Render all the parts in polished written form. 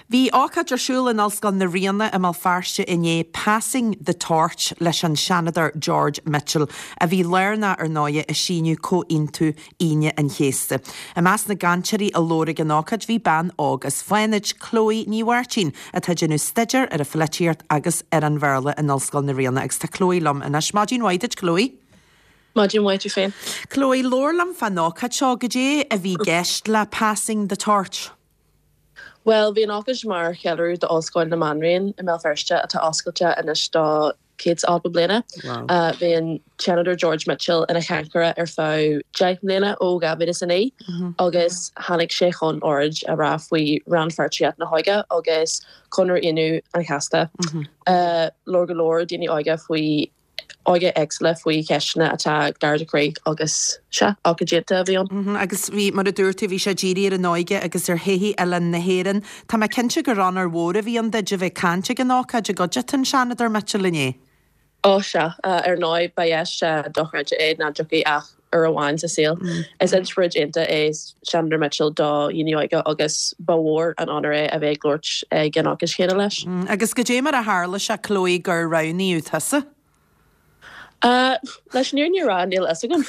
Bhí ócáid ar siúl in Ollscoil na Ríona i mBéal Feirste inné, Passing the Torch, leis an Seanadóir George Mitchell, a bhí lárnach ar ndóighe i síniú Comhaontú Aoine an Chéasta. I measc na gcainteoirí a labhair ag an ócáid bhí bean óg as Fánaid, Chloe Ní Mháirtín, atá ag déanamh staidéar ar an pholaitíocht agus ar an Bhéarla in Ollscoil na Ríona agus tá Chloe liom anois. Maidin mhaith duit Chloe. Maidin mhaith duit féin. Chloe, labhair liom fán ócáid seo, goidé a bhí i gceist le Passing the Torch? Bhuel, bhí an ócáid mar cheiliúradh d'Ollscoil na Banríon i mBéal Feirste atá oscailte anois do 180 bliana. Bhí an Seanadóir George Mitchell ina chainteoir ar feadh 10 mbliana ó 2009 agus tháinig sé chun óráid a rá faoi rannpháirtíocht na hóige agus Conradh Aoine an Chéasta. Labhair go leor daoine óga faoi óga éagsúla faoi cheisteanna atá gar do chroí agus sea, ócáid iontach a bhí ann. Agus bhí, mar a dúirt tú, bhí sé dírithe ar an óige agus ar thodhchaí oileán na hÉireann. Tá mé cinnte gur onóir mhór a bhí ann duit a bheith ag caint ag an ócáid i gcuideachta an Seanadóir Mitchell inné. Ó sea, ar ndóigh, ba dheis dochreidte é nach dtiocfaidh ach uair amháin sa saol. Is inspioráid iontach é Seanadóir Mitchell do dhaoine óga agus ba mhór an onóir é a bheith ag labhairt ag an ócáid chéanna leis. Agus goidé mar a tharla sé, Chloe, gur roghnaíodh tusa? Leis an fhírinne a rá, níl a fhios agam.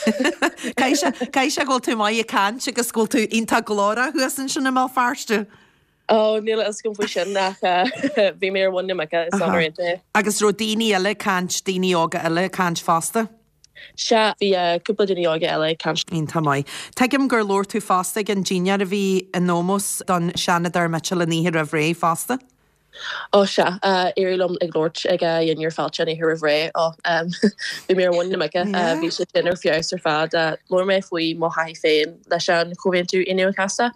Caithfidh sé go bhfuil tú maith ag caint agus go bhfuil tú iontach glórach thuas ansin i mBéal Feirste. Ó, níl a fhios agam faoi sin ach bhí mé ar mhuin na muice, is onóir iontach é. Agus raibh daoine eile ag caint, daoine óga eile ag caint fosta? Sea, bhí cúpla duine óga eile ag caint. Iontach maith. Tuigim gur labhair tú fosta ag an dinnéar a bhí in ómós don Seanadóir Mitchell an oíche roimh ré fosta. Ó sea, éirigh liom ag labhairt ag a dhinnéar fáilte an oíche roimh ré. Ó, bhí mé ar mhuin na muice. Bhí sé sin ar feabhas ar fad. Labhair mé faoi mo thaithí féin leis an Chomhaontú Aoine an Chéasta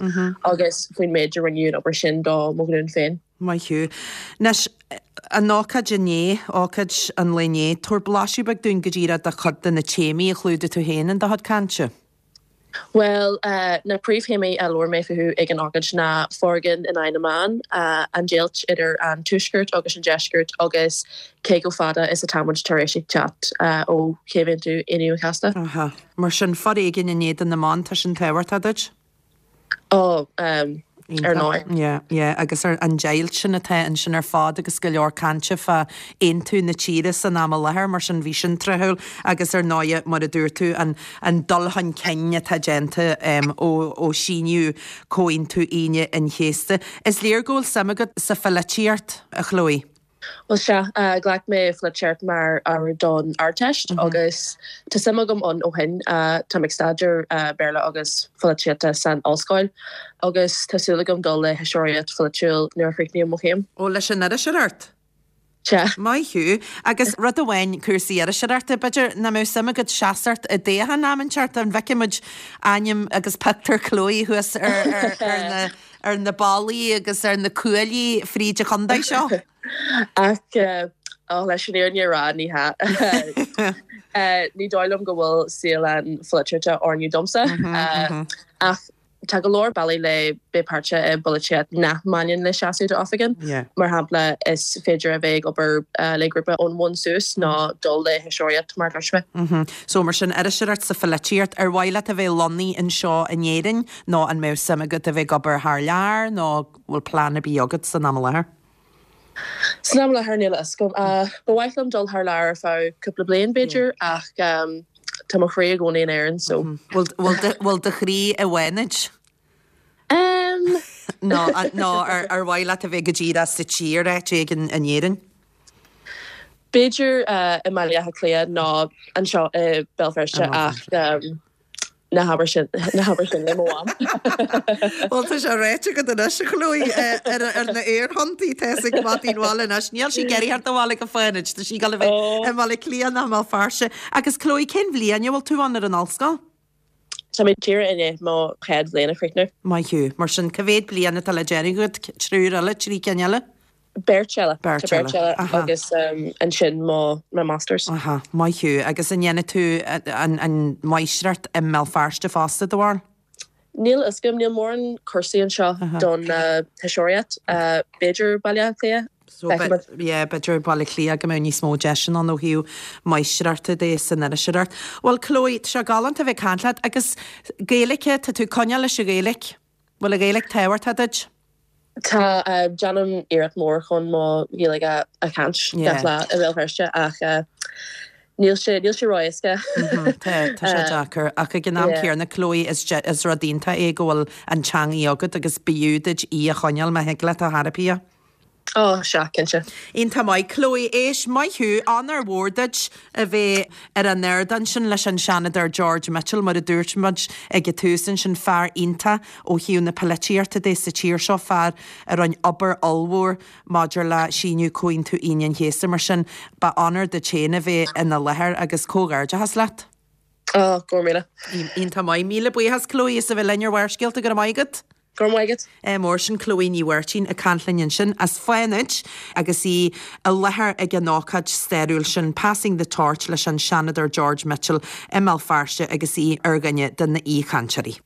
agus faoin méid a rinne an obair sin do mo ghlúin féin. Maith thú. Anois, an ócáid inné, ócáid an lae inné, tabhair blaiseadh beag dúinn go díreach de chuid de na téamaí a chlúdaigh tú féin in do chuid cainte. Bhuel, na príomhthéamaí a labhair mé fúthu ag an ócáid ná foréigean in aghaidh na mban, an deighilt idir an Tuaisceart agus an Deisceart agus cé chomh fada is atá muid tar éis teacht ó Chomhaontú Aoine an Chéasta. Aha. Mar sin, foréigean in éadan na mban, tá sin tábhachtach duit? Ó, ar ndóigh. Yeah, yeah, agus ar an deighilt sin atá ansin ar fad agus go leor cainte fá aontú na tíre san am i láthair, mar sin bhí sin tráthúil agus ar ndóighe, mar a dúirt tú, an, an dul chun cinn atá déanta ó, ó síníodh Comhaontú Aoine an Chéasta. Is léir go bhfuil suim agat sa pholaitíocht, a Chloe. Bhuel sea, ghlac mé Polaitíocht mar ábhar don Ardteist agus tá suim agam ann ó shin. Táim ag staidéar Béarla agus Polaitíochta san ollscoil agus tá súil agam dul le hiriseoireacht pholaitiúil nuair a chríochnaím mo chéim. Ó, leis an iriseoireacht? Sea. Maith thú. Agus rud amháin, cúrsaí iriseoireachta, b'fhéidir nach mbeadh suim agat seasacht i dtoghchán am inteacht, an bhfeicfidh muid ainm agus pictiúr Chloe thuas ar na ar na ballaí agus ar na cuaillí fríd an chontae seo. Ach leis an fhírinne a rá, ní hea. Ní dóigh liom go bhfuil saol an pholaitíochta oiriúnach domsa. Ach tá go leor bealaí le bheith páirteach i bpolaitíocht nach mbaineann le seasamh d'oifig. Mar shampla, is féidir a bheith ag obair le grúpa ón bhun suas nó dul le hiriseoireacht, mar a dúirt mé. So mar sin, iriseoireacht sa pholaitíocht, ar mhaith leat a bheith lonnaithe anseo in Éirinn Nó an mbeadh suim agat a bheith ag obair thar lear nó bhfuil plean ar bith agat san am i láthair? San am i láthair níl a fhios agam. Ba mhaith liom dul thar lear ar feadh cúpla bliain b'fhéidir ach tá mo chroí i gcónaí in Éirinn so. Bhfuil do chroí i bhFánaid? Nó ar mhaith leat a bheith go díreach sa tír áit éigin in Éirinn? B'fhéidir i mBaile Átha Cliath nó anseo i Béal Feirste ach Ná habair sin, ná habair sin le mo mham. Bhuel, tá sé ráite agat anois, a Chloe, ar na aerthonntaí, tá a fhios ag maidin bhaile anois. Níl sí ag iarraidh theacht abhaile go Fánaid, tá sí ag dul a bheith i mBaile Átha Cliath nó i mBéal Feirste. Agus Chloe, cén bhliain a bhfuil tú ann ar an ollscoil? Tá mé díreach i ndiaidh mo chéad bhliain a chríochnú. Maith thú. Mar sin, cá mhéad bliain atá le déanamh agat? Triúr eile? 3 cinn eile? Beirt eile. Beirt eile. Tá beirt eile agus ansin mo masters. Aha, maith thú. Agus an ndéanfaidh tú an mháistreacht i mBéal Feirste fosta, do bharúil? Níl a fhios agam, níl mórán cúrsaí anseo don iriseoireacht. B'fhéidir Baile Átha Cliath? So, yeah, b'fhéidir Baile Átha Cliath go mbeadh níos mó deiseanna ann ó thaobh máistreachta de san iriseoireacht. Bhuel, Chloe, tá sé galánta a bheith ag caint leat agus Gaeilge, tá tú ag coinneáil leis an Ghaeilge. Bhfuil an Ghaeilge tábhachtach duit? Tá, déanaim iarracht mór chun mo Ghaeilge a chaint gach lá i mBéal Feirste ach níl sé, níl sé ró-éasca. Tá, tá sé deacair. Ach ag an am céanna, Chloe, is is rud iontach é go bhfuil an teangaidh agat agus b'fhiú duit í a choinneáil má thig leat a thairbhí. Ó, sea, cinnte. Iontach maith. Chloe, éist, maith thú, onóir mhór duit a bheith ar an ardán sin leis an Seanadóir George Mitchell, mar a dúirt muid ag an tús ansin, fear iontach ó thaobh na polaitíochta de sa tír seo, fear a rinne obair ollmhór maidir le síniú Comhaontú Aoine an Chéasta. Mar sin, ba onóir duit féin a bheith ina láthair agus comhghairdeachas leat. Ó, go raibh míle. Iontach maith. Míle buíochas, Chloe, as a bheith linn ar Bharrscéalta. Go raibh maith agat. Go raibh maith agat. Ádh mór, sin Chloe Ní Mháirtín ag caint linn ansin as Fánaid agus í i láthair ag an ócáid stairiúil sin, Passing the Torch leis an Seanadóir George Mitchell i mBéal Feirste agus í ar dhuine de na aoichainteoirí.